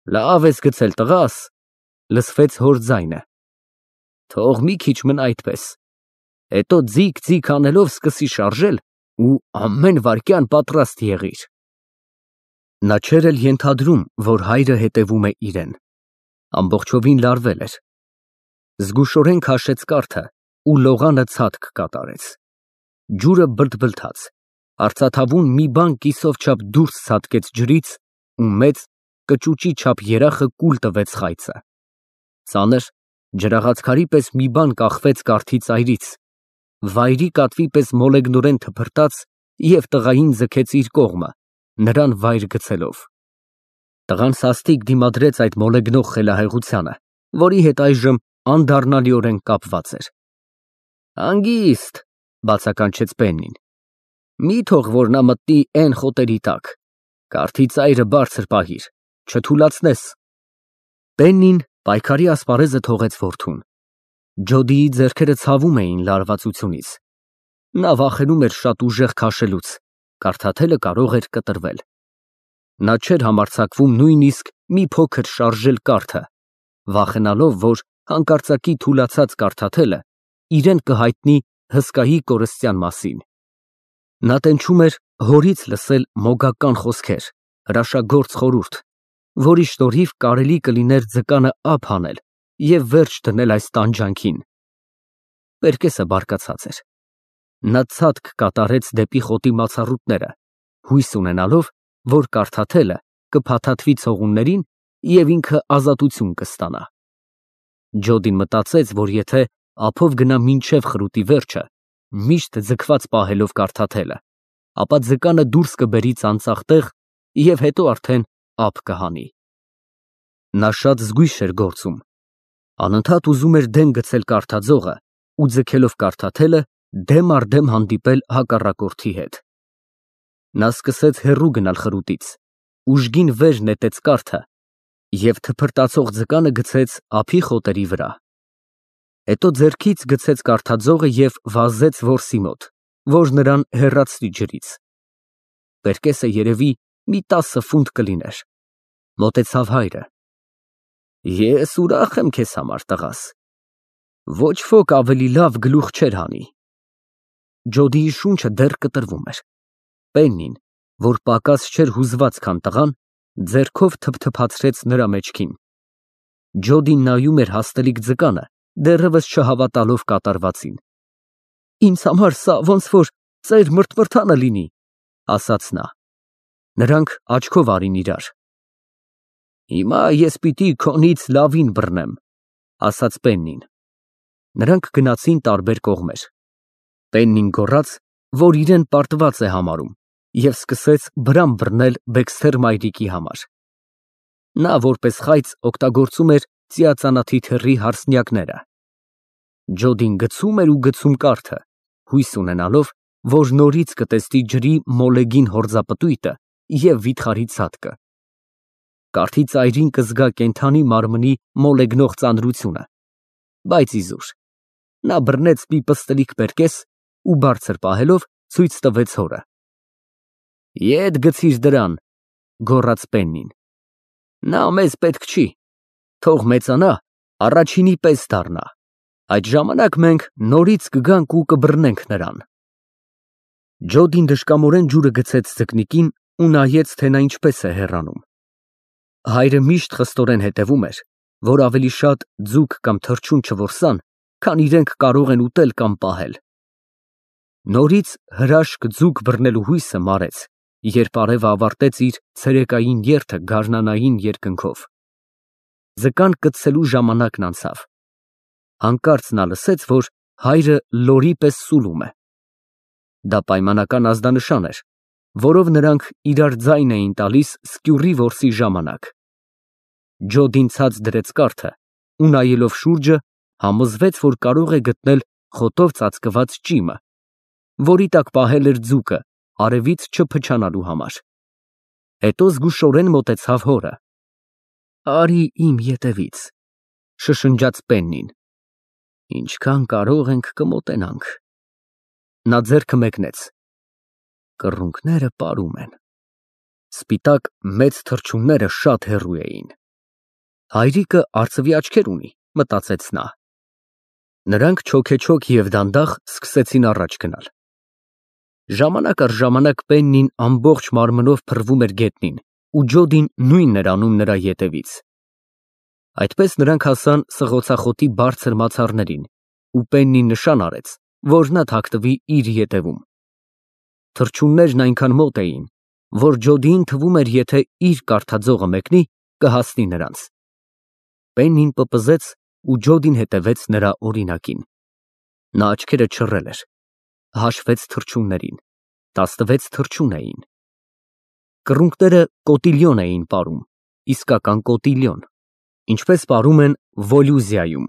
Լավ ես գցել, տղաս, լսվեց հոր ձայնը։ Թող մի քիչ մնա այդպես, հետո ձիգ անելով սկսի շարժել ու ամեն վայրկյան պատրաստ եղիր։ Նա չէր էլ ենթադրում, որ հայրը հետևում է իրեն։ Ամբողջովին լարվել էր։ Զգուշորեն քաշեց կարթը ու լողանը ցատկ կատարեց։ Ջուրը բլթբլթաց, արծաթավուն մի բան կիսով չափ դուրս ցատկեց ջրից ու մեծ կճուճի չափ երախը կուլ տվեց խայծը։ Ծանր ջրաղացքարի պես մի բան կախվեց կարթի ծայրից, վայրի կատվի պես մոլեգնորեն թփրտաց և տղային ձգեց իր կողմը, նրան վայր գցելով։ Տղան սաստիկ դիմադրեց այդ մոլեգնող խելահեղությանը, որի հետ այժմ անդառնալիորեն կապված էր։ Հանգիստ, բացականչեց Պեննին։ Մի թող որ նա մտնի էն խոտերի տակ, կարթի ծայրը բարձր պահիր, չթուլացնես։ Պեննին պայքարի ասպարեզը թողեց որդուն։ Ջոդիի ձեռքերը ցավում էին լարվածությունից։ Նա վախենում էր շատ ուժեղ քաշելուց, կարդաթելը կարող էր կտրվել։ Նա չէր համարձակվում նույնիսկ մի փոքր շարժել կարթը, վախենալով, որ հանկարծակի թուլացած կարդաթելը իրեն կհայտնի հսկայի կորստյան մասին։ Նա տենչում էր հորից լսել մոգական խոսքեր, հրաշագործ խորհուրդ, որի շնորհիվ կարելի կլիներ ձկանը ափ հանել և վերջ դնել այս տանջանքին։ Պերկեսը բարկացած էր։ Նա ցատկ կատարեց դեպի խոտի մացառուտները, հույս ունենալով, որ կարդաթելը կփաթաթվի ցողուններին և ինքը ազատություն կստանա։ Ջոդին մտածեց, որ եթե ափով գնա մինչև խրուտի վերջը, միշտ ձգված պահելով կարդաթելը, ապա ձկանը դուրս կբերի ծանծաղ տեղ և հետո արդեն ափ կհանի։ Նա շատ զգույշ էր գործում, անընդհատ ուզում էր դեն գցել կարդաձողը ու ձգելով կարդաթելը դեմ առ դեմ հանդիպել հակառակորդի հետ։ Նա սկսեց հեռու գնալ խրուտից, ուժգին վեր նետեց կարթը և թփրտացող ձկանը գցեց ափի խոտերի վրա։ Հետո ձեռքից գցեց կարդաձողը և վազեց որսի մոտ, որ նրան հեռացնի ջրից։ Պերկեսը երևի մի 10 ֆունտ կլիներ։ Մոտեցավ հայրը։ Ես ուրախ եմ քեզ համար, տղաս։ Ոչ ոք ավելի լավ գլուխ չէր հանի։ Ջոդիի շունչը դեռ կտրվում էր։ Պեննին, որ պակաս չէր հուզված, քան տղան, ձեռքով թփթփացրեց նրա մեջքին։ Ջոդին նայում էր հաստելիք ձկանը, դեռևս չհավատալով կատարվածին։ Ինձ համար սա ոնց որ ծեր մրթմրթանը լինի, ասաց նա։ Նրանք աչքով արին իրար։ Հիմա ես պիտի քոնից լավին բռնեմ, ասաց Պեննին։ Նրանք գնացին տարբեր կողմեր։ Պեննին գոռաց, որ իրեն պարտված է համարում, և սկսեց բրամ բռնել Բեքսթեր մայրիկի համար։ Նա որպես խայծ օգտագործում էր ծիածանաթի թեռի հարսնյակները։ Ջոդին գցում էր ու գցում կարթը, հույս ունենալով, որ նորից կտեսնի ջրի մոլեգին հորձապտույտը և վիթխարի ցատկը։ Կարթի ծայրին կզգա կենդանի մարմնի մոլեգնող ծանրությունը, բայց իզուր։ Նա բռնեց մի պստլիկ պերկես ու բարձր պահելով ցույց տվեց հորը։ Ետ գցիր դրան, գոռաց Պեննին։ Նա մեզ պետք չի, թող մեծանա, առաջինի պես դառնա, այդ ժամանակ մենք նորից կգանք ու կբռնենք նրան։ Ջոդին դժկամորեն ջուրը գցեց ձկնիկին ու նայեց, թե նա ինչպես է հեռանում։ Հայրը միշտ խստորեն հետևում էր, որ ավելի շատ ձուկ կամ թռչուն չորսան, քան իրենք կարող են ուտել կամ պահել։ Նորից հրաշք ձուկ բռնելու հույսը մարեց, երբ արևը ավարտեց իր ցերեկային երթը գարնանային երկնքով։ Ձկան կծելու ժամանակն անցավ։ Հանկարծ նա լսեց, որ հայրը լորի պես սուլում է։ Դա պայմանական ազդանշան էր, որով նրանք իրար ձայն էին տալիս սկյուռի որսի ժամանակ։ Ջոդին ցած դրեց կարթը ու նայելով շուրջը համոզվեց, որ կարող է գտնել խոտով ծածկված ճիմը, որի տակ պահել էր ձուկը արևից չփչանալու համար։ Հետո զգուշորեն մոտեցավ հորը։ Արի իմ ետևից, շշնջաց Պեննին։ Ինչքան կարող ենք կմոտենանք։ Նա ձեռքը մեկնեց։ Կռունկները պարում են։ Սպիտակ մեծ թռչունները շատ հեռու էին։ Հայրիկը արծվի աչքեր ունի, մտածեց նա։ Նրանք չոքեչոք և դանդաղ սկսեցին առաջ գնալ։ Ժամանակ առ ժամանակ Պեննին ամբողջ մարմնով փռվում էր գետնին, ու Ջոդին նույնն էր անում նրա ետևից։ Այդպես նրանք հասան սղոցախոտի բարձր մացառներին, ու Պեննին նշան արեց, որ նա թաքնվի իր ետևում։ Թռչուններն այնքան մոտ էին, որ Ջոդիին թվում էր, եթե իր կարդաձողը մեկնի, կհասնի նրանց։ Պեննին պպզեց ու Ջոդին հետևեց նրա օրինակին։ Նա աչքերը չռել էր, հաշվեց թռչուններին, 16 թռչուն էին։ Կռունկները կոտիլիոն էին պարում, իսկական կոտիլիոն, ինչպես պարում են Վոլյուզիայում։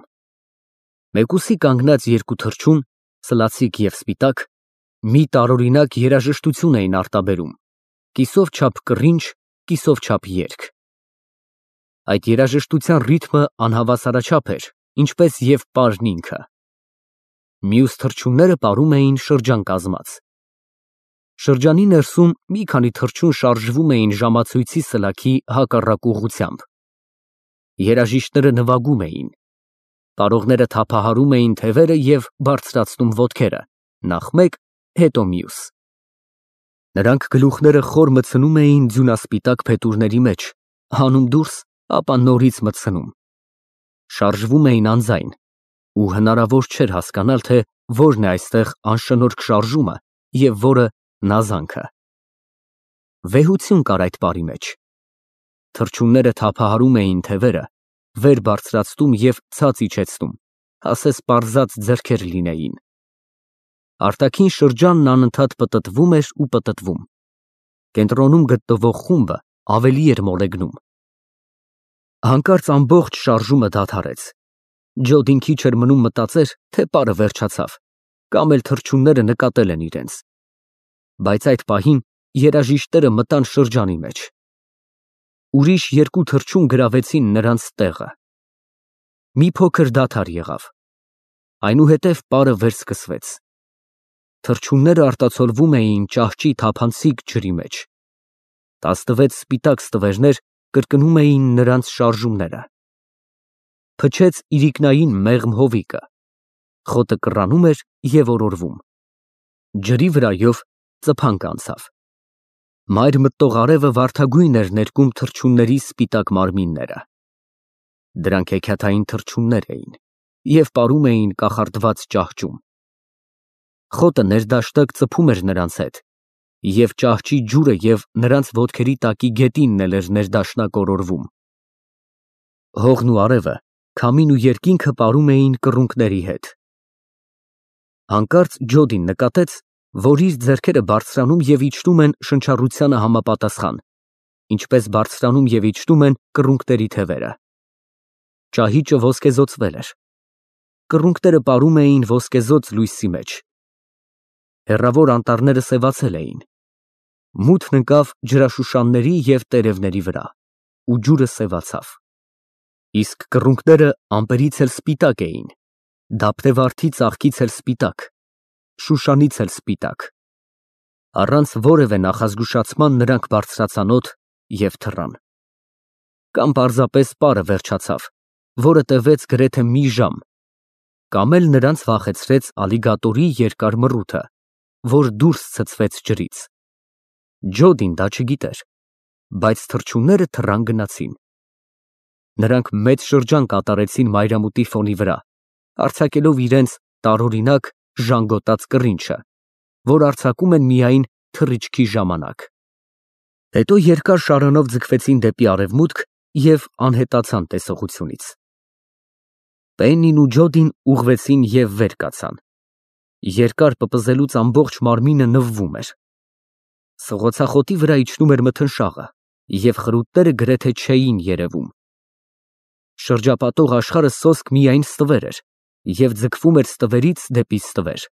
Մեկուսի կանգնած երկու թռչուն, սլացիկ և սպիտակ, մի տարօրինակ երաժշտություն էին արտաբերում, կիսով չափ կռինչ, կիսով չափ երգ։ Այդ երաժշտության ռիթմը անհավասարաչափ էր, ինչպես և պարն ինքը։ Մյուս թռչունները պարում էին շրջան կազմած։ Շրջանի ներսում մի քանի թռչուն շարժվում էին ժամացույցի սլաքի հակառակ ուղղությամբ։ Երաժիշտները նվագում էին։ Պարողները թափահարում էին թևերը և բարձրացնում ոտքերը, նախ մեկ, հետո մյուս։ Նրանք գլուխները խոր մտցնում էին ձյունասպիտակ փետուրների մեջ, հանում դուրս, ապա նորից մտցնում։ Շարժվում էին անձայն, ու հնարավոր չէր հասկանալ, թե որն է այստեղ անշնորհք շարժումը և որը նազանքը։ Վեհություն կար այդ պարի մեջ։ Թռչունները թափահարում էին թևերը, վեր բարձրացնում և ցած իջեցնում, ասես պարզած ձեռքեր լինեին։ Արտաքին շրջանն անընդհատ պտտվում էր ու պտտվում։ Կենտրոնում գտնվող խումբը ավելի էր մոլեգնում։ Հանկարծ ամբողջ շարժումը դադարեց։ Ջոդին քիչ էր մնում մտածեր, թե պարը վերջացավ, կամ էլ թռչունները նկատել են իրենց։ Բայց այդ պահին երաժիշտները մտան շրջանի մեջ։ Ուրիշ երկու թռչուն գրավեցին նրանց տեղը։ Մի փոքր դադար եղավ։ Այնուհետև պարը վերսկսվեց։ Թռչունները արտացոլվում էին ճահճի թափանցիկ ջրի մեջ։ 16 սպիտակ ստվերներ կրկնում էին նրանց շարժումները։ Փչեց իրիկնային մեղմ հովիկը։ Խոտը կռանում էր և օրորվում։ Ջրի վրայով ծփանկ անցավ։ Մայր մտնող արևը վարդագույն էր ներկում թռչունների սպիտակ մարմինները։ Դրանք հեքիաթային թռչուններ էին և պարում էին կախարդված ճահճում։ Խոտը ներդաշտակ ծփում էր նրանց հետ, և ճահճի ջուրը և նրանց ոտքերի տակի գետինն էլ էր ներդաշնակ օրորվում։ Հողն ու արևը, քամին ու երկինքը պարում էին կռունկների հետ։ Հանկարծ Ջոդին նկատեց, որ իր ձեռքերը բարձրանում և իջնում են շնչառությանը համապատասխան, ինչպես բարձրանում և իջնում են կռունկների թևերը։ Ճահիճը ոսկեզօծվել էր։ Կռունկները պարում էին ոսկեզօծ լույսի մեջ։ Հեռավոր անտառները սևացել էին։ Մութն ընկավ ջրաշուշանների և տերևների վրա, ու ջուրը սևացավ։ Իսկ կռունկները ամպերից էլ սպիտակ էին, դափտեվարդի ծաղկից էլ սպիտակ, շուշանից էլ սպիտակ։ Առանց որևէ նախազգուշացման նրանք բարձրացան օդ և թռան։ Կամ պարզապես պարը վերջացավ, որը տևեց գրեթե մի ժամ, կամ էլ նրանց վախեցրեց ալիգատորի երկար մռութը, որ դուրս ցցվեց ջրից։ Ջոդին դա չգիտեր, բայց թռչունները թռան գնացին։ Նրանք մեծ շրջան կատարեցին մայրամուտի ֆոնի վրա, արձակելով իրենց տարօրինակ ժանգոտած կռինչը, որ արձակում են միայն թռիչքի ժամանակ։ Հետո երկար շարանով ձգվեցին դեպի արևմուտք և անհետացան տեսողությունից։ Պեննին ու Ջոդին ուղղվեցին և վեր կացան։ Երկար պպզելուց ամբողջ մարմինը նվվում էր։ Սղոցախոտի վրա իջնում էր մթնշաղը, և խրուտները գրեթե չէին երևում։ Շրջապատող աշխարհը սոսկ միայն ստվեր էր և ձգվում էր ստվերից դեպի ստվեր։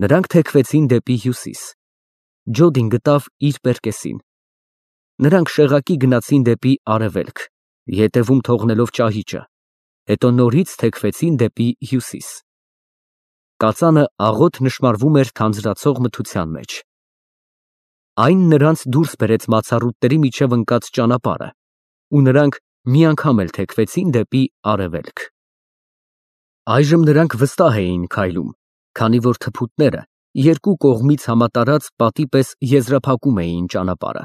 Նրանք թեքվեցին դեպի հյուսիս։ Ջոդին գտավ իր պերկեսին։ Նրանք շեղակի գնացին դեպի արևելք, ետևում թողնելով ճահիճը, հետո նորից թեքվեցին դեպի հյուսիս։ Կածանը աղոտ նշմարվում էր թանձրացող մթության մեջ։ Այն նրանց դուրս բերեց մացառուտների միջև ընկած ճանապարհը, ու նրանք մի անգամ էլ թեքվեցին դեպի արևելք։ Այժմ նրանք վստահ էին քայլում, քանի որ թփուտները երկու կողմից համատարած պատի պես եզրափակում էին ճանապարհը։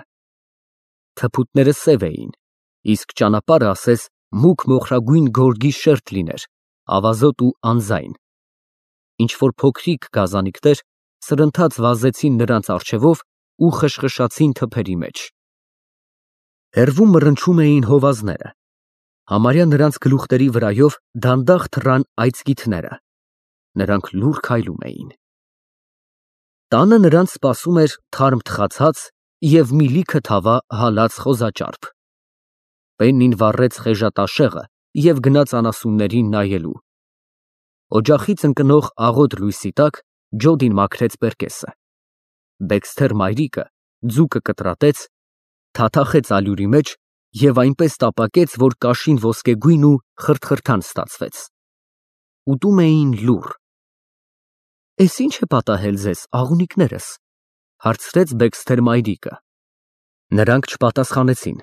Թփուտները սև էին, իսկ ճանապարհը ասես մուգ մոխրագույն գորգի շերտ լիներ, ավազոտ ու անձայն։ Ինչ-որ փոքրիկ գազանիկներ սրընթաց վազեցին նրանց առջևով ու խշխշացին թփերի մեջ։ Հեռվում մռնչում էին հովազները, համարյա նրանց գլուխների վրայով դանդաղ թռան այծկիթները, նրանք լուռ քայլում էին։ Տանը նրանց սպասում էր թարմ թխացած և մի լիքը թավա հալած խոզաճարպ։ Պեննին վառեց խեժատաշեղը և գնաց անասուններին նայելու։ Օջախից ընկնող աղոտ լույսի տակ Ջոդին մաքրեց պերկեսը։ Դեքսթեր մայրիկը ձուկը կտրատեց, թաթախեց ալյուրի մեջ և այնպես տապակեց, որ կաշին ոսկեգույն ու խրթխրթան ստացվեց։ Ուտում էին լուռ։ «Էս ի՞նչ է պատահել ձեզ, աղունիկներս», հարցրեց Դեքսթեր մայրիկը։ Նրանք չպատասխանեցին։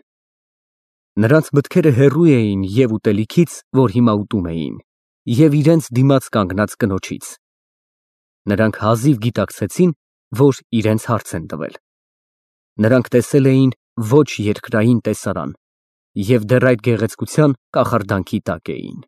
Նրանց մտքերը հեռու էին և ուտելիքից, որ հիմա ուտում էին, և իրենց դիմաց կանգնած կնոջից։ Նրանք հազիվ գիտակցեցին, որ իրենց հարց են տվել։ Նրանք տեսել էին ոչ երկրային տեսարան և դեռ այդ գեղեցկության կախարդանքի տակ էին։